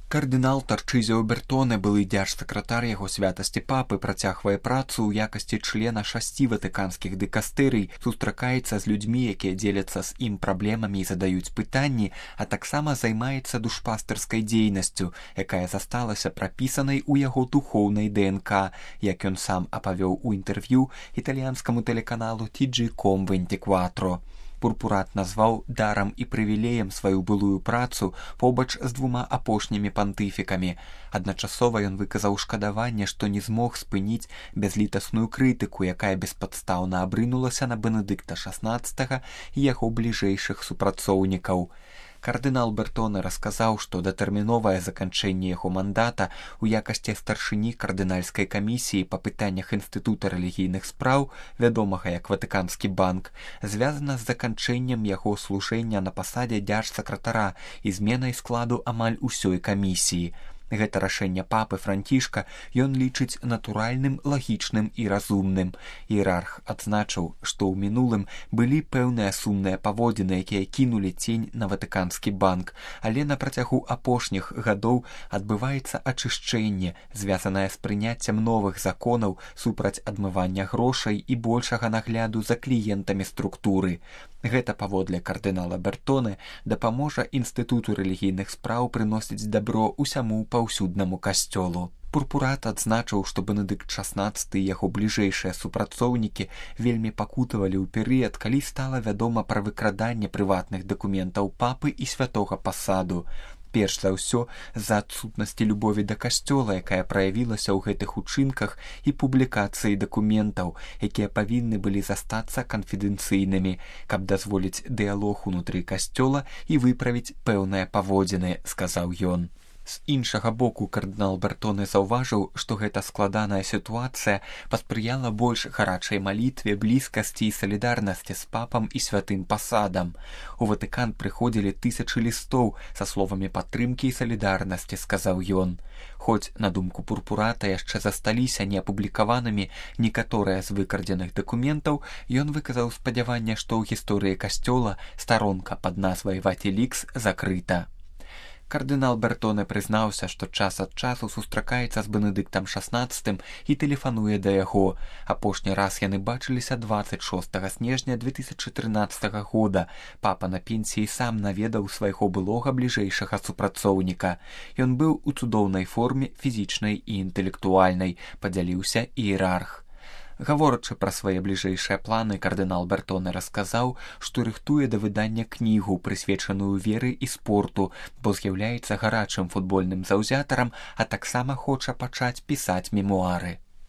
Кардынал Тарчызіо Бертоне, былы дзяржсакратар яго святасці папы, працягвае працу ў якасці члена 6 ватыканскіх дыкастэрый, сустракаецца з людзьмі, якія дзеляцца з ім праблемамі і задаюць пытанні, а таксама займаецца душпастырскай дзейнасцю, якая засталася прапісанай у яго духоўнай ДНК, як ён сам апавёў у інтэрв'ю італьянскаму тэлеканалу TG.com24. Пурпурат назваў дарам і прывілеем сваю былую працу побач з 2 апошнімі пантыфікамі. Адначасова ён выказаў шкадаванне, што не змог спыніць бязлітасную крытыку, якая беспадстаўна абрынулася на Бенедыкта XVI і яго бліжэйшых супрацоўнікаў. Кардынал Бертоне расказаў, што датэрміновае заканчэнне яго мандата ў якасці старшыні кардынальскай камісіі па пытаннях інстытута рэлігійных спраў, вядомага як Ватыканскі банк, звязана з заканчэннем яго служэння на пасадзе дзяржсакратара і зменай складу амаль усёй камісіі. Гэта рашэнне папы Францішка ён лічыць натуральным, лагічным і разумным. Іерарх адзначыў, што ў мінулым былі пэўныя сумныя паводзіны, якія кінулі цень на Ватыканскі банк, але на працягу апошніх гадоў адбываецца ачышчэнне, звязанае з прыняццем новых законаў супраць адмывання грошай і большага нагляду за кліентамі структуры. Гэта, паводле кардынала Бертоне, дапаможа інстытуту рэлігійных спраў прыносіць дабро ўсяму паўсюднаму касцёлу. Пурпурат адзначыў, што Бенедыкт XVI і яго бліжэйшыя супрацоўнікі вельмі пакутавалі ў перыяд, калі стала вядома пра выкраданне прыватных дакументаў папы і святога пасаду. Перш за ўсё, з-за адсутнасці любові да касцёла, якая праявілася ў гэтых учынках і публікацыі дакументаў, якія павінны былі застацца канфідэнцыйнымі, каб дазволіць дыялог унутры касцёла і выправіць пэўныя паводзіны, сказаў ён. З іншага боку, кардынал Бертоне заўважыў, што гэта складаная сітуацыя паспрыяла больш гарачай малітве, блізкасці і салідарнасці з папам і святым пасадам. У Ватыкан прыходзілі тысячы лістоў са словамі падтрымкі і салідарнасці, сказаў ён. Хоць, на думку Пурпурата, яшчэ засталіся неапублікаванымі некаторыя з выкрадзеных дакументаў, ён выказаў спадзяванне, што ў гісторыі касцёла старонка пад назвай Ватилікс закрыта. Кардынал Бертоне прызнаўся, што час ад часу сустракаецца з Бенедыктам XVI і тэлефануе да яго. Апошні раз яны бачыліся 26 снежня 2013 года. Папа на пенсіі сам наведаў свайго былога бліжэйшага супрацоўніка. Ён быў у цудоўнай форме фізічнай і інтэлектуальнай, падзяліўся іерарх. Гаворачы пра свае бліжэйшыя планы, кардынал Бертоне расказаў, што рыхтуе да выдання кнігу, прысвечаную веры і спорту, бо з'яўляецца гарачым футбольным заўзятарам, а таксама хоча пачаць пісаць мемуары.